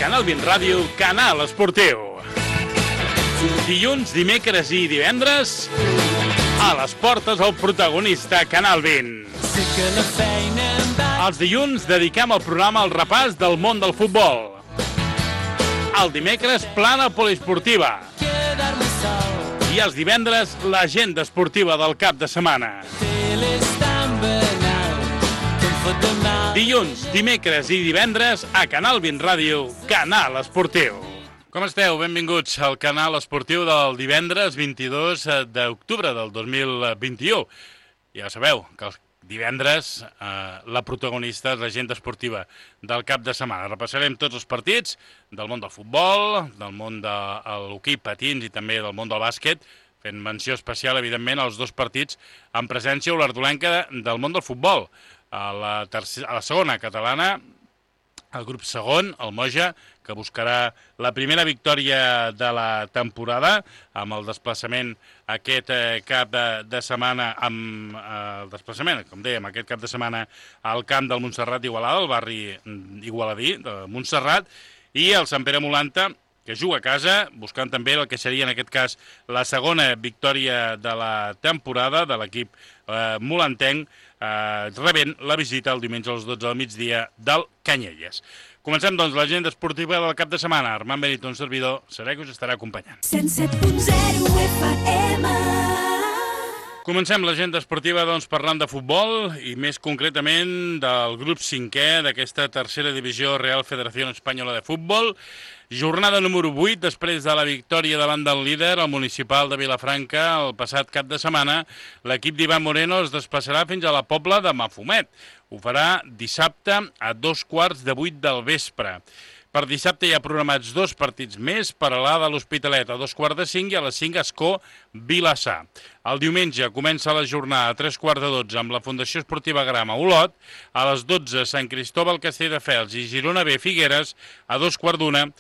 Canal 20 Ràdio, Canal Esportiu. Dilluns, dimecres i divendres, a les portes el protagonista, Canal 20. Els dilluns dediquem el programa al repàs del món del futbol. El dimecres, plana poliesportiva. I els divendres, l'agenda esportiva del cap de setmana. Dilluns, dimecres i divendres a Canal 20 Ràdio, Canal Esportiu. Com esteu? Benvinguts al Canal Esportiu del divendres 22 d'octubre del 2021. Ja sabeu que els divendres la protagonista és l'agenda esportiva del cap de setmana. Repassarem tots els partits del món del futbol, del món de l'hoquei patins i també del món del bàsquet, fent menció especial, evidentment, als dos partits amb presència olardolenca del món del futbol. A la segona catalana, el grup segon, el Moja, que buscarà la primera victòria de la temporada amb el desplaçament aquest cap de setmana, amb el desplaçament, com dèiem, aquest cap de setmana al camp del Montserrat d'Igualada, el barri igualadí de Montserrat, i el Sant Pere Molanta, que juga a casa, buscant també el que seria, en aquest cas, la segona victòria de la temporada de l'equip molantenc, rebent la visita el diumenge a les 12 del migdia del Canyelles. Comencem, doncs, l'agenda esportiva del cap de setmana. Armand Benito, un servidor, seré que us estarà acompanyant. 107.0 FM. Comencem l'agenda esportiva, doncs, parlant de futbol i més concretament del grup 5è d'aquesta tercera divisió Real Federación Española de Futbol. Jornada número 8, després de la victòria davant del líder, el municipal de Vilafranca, el passat cap de setmana, l'equip d'Ivan Moreno es desplaçarà fins a la Pobla de Mafumet. Ho farà dissabte a 7:15 del vespre. Per dissabte hi ha programats dos partits més, per a l'A de l'Hospitalet a 5:15 i a les 5 Escó Vilassar. El diumenge comença la jornada a 11:45 amb la Fundació Esportiva Grama Olot, a les 12 Sant Cristóbal Castelldefels i Girona B Figueres, a 2:15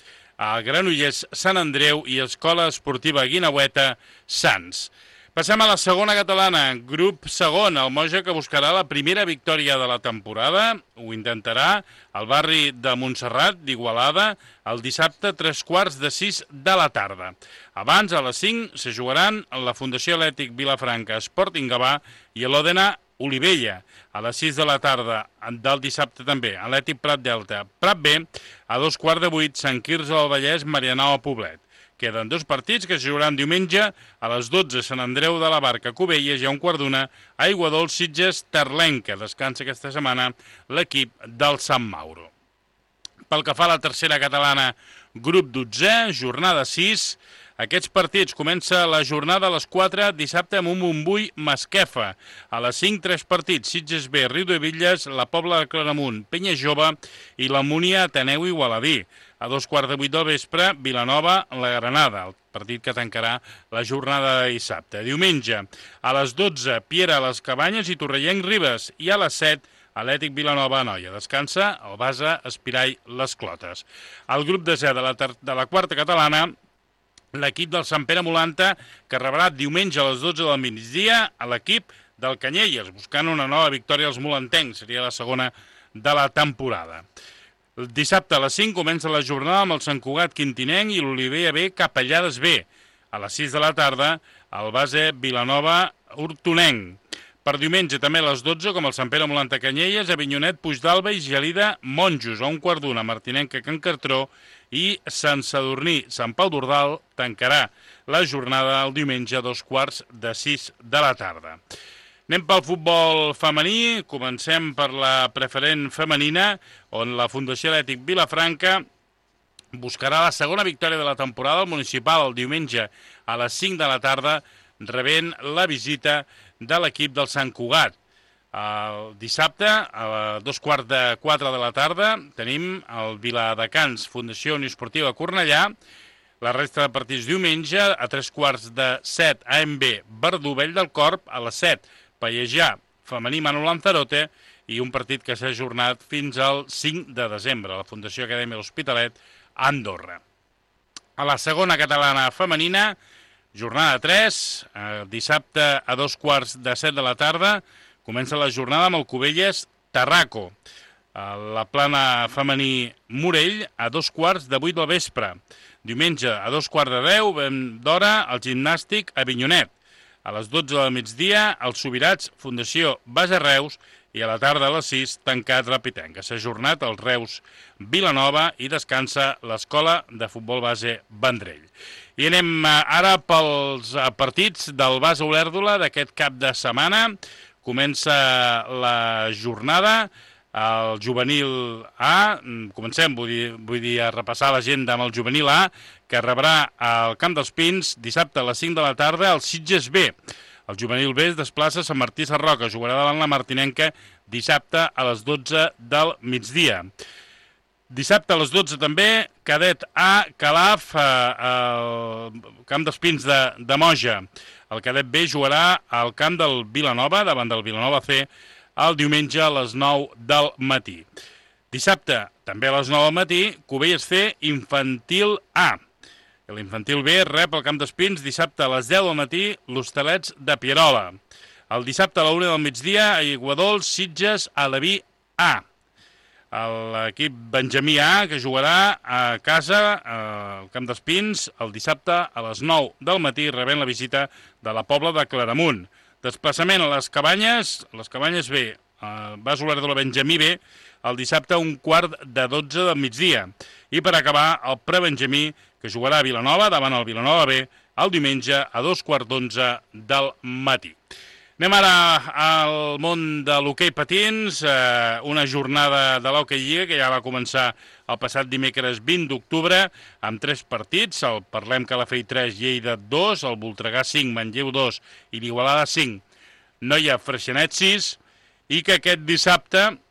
a Granollers Sant Andreu i Escola Esportiva Guinaueta Sants. Passem a la segona catalana, grup segon, el Moja, que buscarà la primera victòria de la temporada. Ho intentarà al barri de Montserrat d'Igualada el dissabte a 5:45 de la tarda. Abans, a les 5, se jugaran la Fundació Atlètic Vilafranca Sporting Gavà i l'Òdena Olivella. A les 6 de la tarda del dissabte també, Atlètic Prat Delta, Prat B, a 7:15, Sant Quirze del Vallès, Marianao Poblet. Queden dos partits que es jugaran diumenge a les 12, Sant Andreu de la Barca, Cubelles, i a 1:15, Aiguadols, Sitges, Terlenca. Descansa aquesta setmana l'equip del Sant Mauro. Pel que fa a la tercera catalana, grup 12è, jornada 6, aquests partits comença la jornada a les 4, dissabte amb un Montbui Masquefa. A les 5, 3 partits, Sitges B, Riu de Villes, la Pobla de Claramunt, Penya Jove i la Múnia Ateneu Igualadí. A 2:15 del vespre, Vilanova, la Granada, el partit que tancarà la jornada de dissabte. Diumenge, a les 12, Piera, les Cabanyes i Torrellenc Ribes, i a les 7, Atlètic Vilanova Anoia. Descansa el Basa Espirall Les Clotes. El grup desè de la quarta catalana, l'equip del Sant Pere Molanta, que rebrà diumenge a les 12 del migdia a l'equip del Canyelles, buscant una nova victòria als molantencs. Seria la segona de la temporada. El dissabte a les 5 comença la jornada amb el Sant Cugat Quintinenc i l'Olivella B Capellades B. A les 6 de la tarda, el base Vilanova Hortonenc. Per diumenge també a les 12, com el Sant Pere Molanta Canyelles, Avinyonet, Puigdàlber i Gelida Monjos. A 1:15, Martinenca Can Cartró i Sant Sadurní Sant Pau d'Ordal tancarà la jornada el diumenge a 5:15 de la tarda. Anem pel futbol femení, comencem per la preferent femenina, on la Fundació Atlètic Vilafranca buscarà la segona victòria de la temporada al municipal el diumenge a les 5 de la tarda, rebent la visita de l'equip del Sant Cugat. El dissabte, a 3:15 de la tarda, tenim el Viladecans Fundació Unió Esportiva Cornellà. La resta de partits diumenge, a 3:15 AMB Verdú Vell del Corp, a les 7 Pallejà Femení Manu Lanzarote i un partit que s'ha ajornat fins al 5 de desembre, la Fundació Acadèmia L'Hospitalet a Andorra. A la segona catalana femenina, jornada 3, dissabte a 7:15 de la tarda, comença la jornada amb el Cubelles Tarraco. La Plana femení Morell a 2:15 del vespre. Diumenge a 2:15 d'hora el gimnàstic a Avinyonet. A les 12 del migdia els Subirats Fundació Base Reus i a la tarda a les 6 tancat la Pitenca. S'ha ajornat el Reus Vilanova i descansa l'Escola de Futbol Base Vendrell. I anem ara pels partits del Base Olèrdola d'aquest cap de setmana. Comença la jornada. El juvenil A, comencem, vull dir, a repassar l'agenda amb el juvenil A, que rebrà al Camp dels Pins dissabte a les 5 de la tarda el Sitges B. El juvenil B es desplaça a Sant Martí Sarroca, jugarà davant la Martinenca dissabte a les 12 del migdia. Dissabte a les 12 també, cadet A, Calaf, al Camp dels Pins de Moja. El cadet B jugarà al camp del Vilanova, davant del Vilanova C, el diumenge a les 9 del matí. Dissabte, també a les 9 del matí, Cubelles C, Infantil A. L'Infantil B rep al Camp d'Espins dissabte a les 10 del matí l'Hostalets de Pierola. El dissabte a la 1 del migdia, a Iguadols, Sitges, Aleví A. L'equip Benjamí A, que jugarà a casa al Camp d'Espins el dissabte a les 9 del matí, rebent la visita de la Pobla de Claramunt. Desplaçament a les Cabanyes B, Base Olèrdola Benjamí B, el dissabte a 11:45 del migdia. I per acabar, el Prebenjamí, que jugarà a Vilanova, davant el Vilanova B, el diumenge a 2:15 del matí. Anem ara al món de l'hoquei patins, una jornada de l'hoquei lliga que ja va començar el passat dimecres 20 d'octubre amb 3 partits, el Parlem Calafell 3, Lleida 2, el Voltregà 5, Manlleu 2 i l'Igualada 5, Noia Freixenet 6, i que aquest dissabte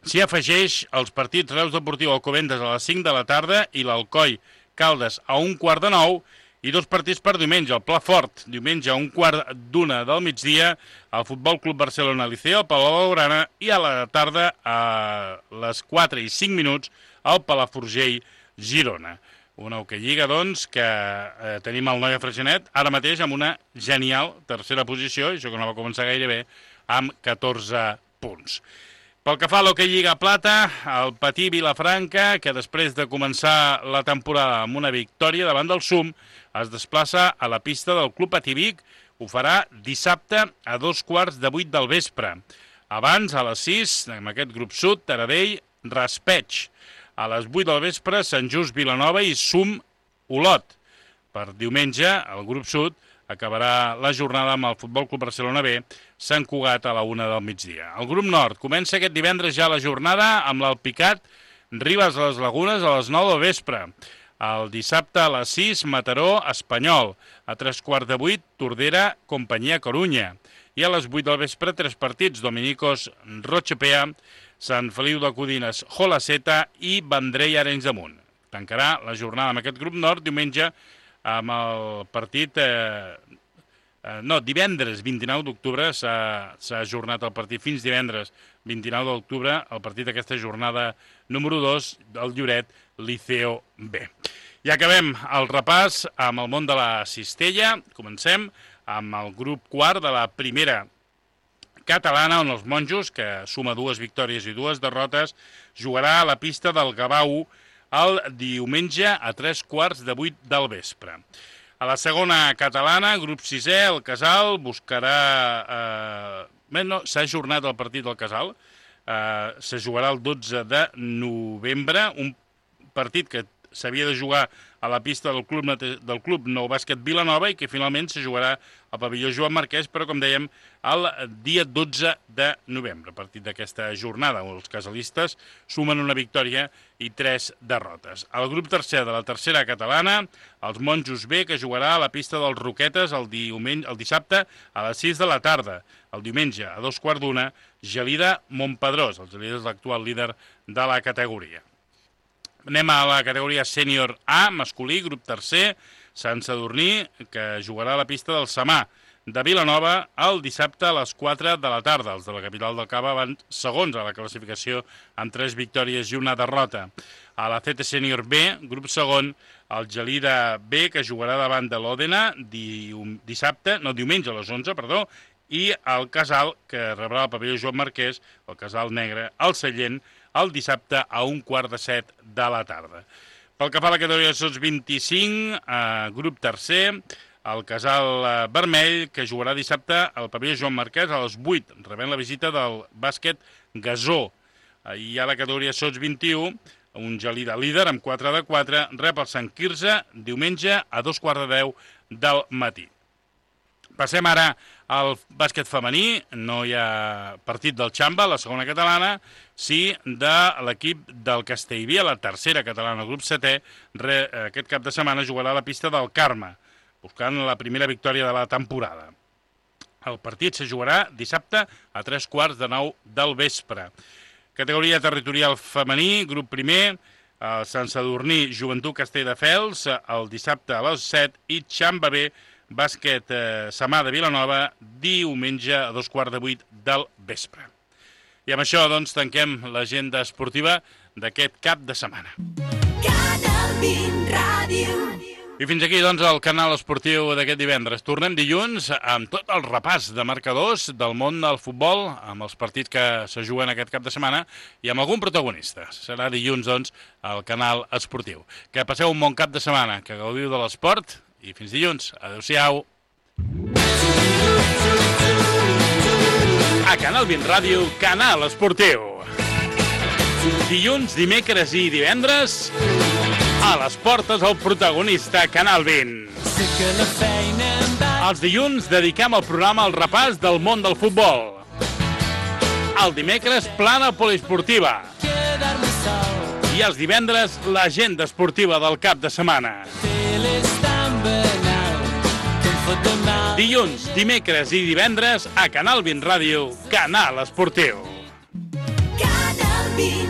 s'hi afegeix els partits Reus Deportiu Alcobendas a les 5 de la tarda i l'Alcoi Caldes a 1:15 i 2 partits per diumenge, el Pla Fort, diumenge a 1:15 del migdia, el Futbol Club Barcelona Liceo, el Palau Blaugrana, i a la tarda, a les 4:05, el Palafrugell Girona. Una hoquei lliga, doncs, que tenim el Noia Freixenet, ara mateix amb una genial tercera posició, això que no va començar gaire bé, amb 14 punts. Pel que fa a l'hoquei lliga plata, el Patí Vilafranca, que després de començar la temporada amb una victòria davant del SUM, es desplaça a la pista del Club Patí Vic, ho farà dissabte a 2:15 del vespre. Abans, a les 6, amb aquest grup sud, Taradell, Raspeig. A les 8 del vespre, Sant Just, Vilanova i SUM Olot. Per diumenge, el grup sud acabarà la jornada amb el Futbol Club Barcelona B, Sant Cugat a la 1 del migdia. El grup nord comença aquest divendres ja la jornada amb l'Alpicat, Ribes a les Lagunes a les 9 del vespre. El dissabte a les 6, Mataró, Espanyol. A 3:15, Tordera, Companyia Corunya. I a les 8 del vespre, 3 partits, Dominicos, Rochepea, Sant Feliu de Codines, Jolaceta i Vendrell, Arenys de Munt. Tancarà la jornada amb aquest grup nord diumenge amb el partit... divendres 29 d'octubre s'ha ajornat el partit fins divendres 29 d'octubre, el partit d'aquesta jornada número 2 del Lloret Liceo B. I acabem el repàs amb el món de la cistella. Comencem amb el grup quart de la primera catalana, on els monjos, que suma 2 victòries i 2 derrotes, jugarà a la pista del Gavà el diumenge a 3:15 del vespre. A la segona catalana, grup 6è, el Casal buscarà... s'ha ajornat el partit del Casal, se jugarà el 12 de novembre, un partit que s'havia de jugar a la pista del Club Nou Bàsquet Vilanova i que finalment se jugarà al pavelló Joan Marquès, però com dèiem, el dia 12 de novembre, a partir d'aquesta jornada, on els casalistes sumen una victòria i 3 derrotes. El grup tercer de la tercera catalana, els Monjos B, que jugarà a la pista dels Roquetes el dissabte a les 6 de la tarda. El diumenge, a 2:15, Gelida Montpedrós. El Gelida és l'actual líder de la categoria. Anem a la categoria sènior A, masculí, grup tercer, Sant Sadurní, que jugarà a la pista del Samà de Vilanova el dissabte a les 4 de la tarda. Els de la capital del Cava van segons a la classificació amb 3 victòries i una derrota. A la CT Sènior B, grup segon, el Gelida B, que jugarà davant de l'Òdena diumenge a les 11, i el Casal, que rebrà el pavelló Joan Marquès, el Casal Negre, al Sallent, el dissabte a 6:15 de la tarda. Pel que fa a la categoria sots 25, grup tercer, el Casal Vermell, que jugarà dissabte al pavelló Joan Marquès a les 8, rebent la visita del bàsquet Gasó. Hi ha la categoria sots 21, un Gelida líder amb 4-4, rep el Sant Quirze diumenge a 2:15 del matí. Passem ara al bàsquet femení. No hi ha partit del Xamba, la segona catalana, sí de l'equip del Castellví, a la tercera catalana, grup 7è. Aquest cap de setmana jugarà a la pista del Carme, buscant la primera victòria de la temporada. El partit se jugarà dissabte a 3:15 del vespre. Categoria territorial femení, grup primer, Sant Sadurní, Joventut Castelldefels, el dissabte a les 7, i Xamba B, bàsquet Samà de Vilanova, diumenge a 2:15 del vespre. I amb això, doncs, tanquem l'agenda esportiva d'aquest cap de setmana. Canal 20 Ràdio. I fins aquí, doncs, el canal esportiu d'aquest divendres. Tornem dilluns amb tot el repàs de marcadors del món del futbol, amb els partits que se juguen aquest cap de setmana i amb algun protagonista. Serà dilluns, doncs, al canal esportiu. Que passeu un bon cap de setmana, que gaudiu de l'esport i fins dilluns. Adéu-siau. A Canal 20 Ràdio, canal esportiu. Dilluns, dimecres i divendres, a les portes el protagonista Canal 20. Els dilluns dediquem el programa al repàs del món del futbol. El dimecres, plana poliesportiva. I els divendres, l'agenda esportiva del cap de setmana. Dilluns, dimecres i divendres a Canal 20 Ràdio, canal esportiu. Canal 20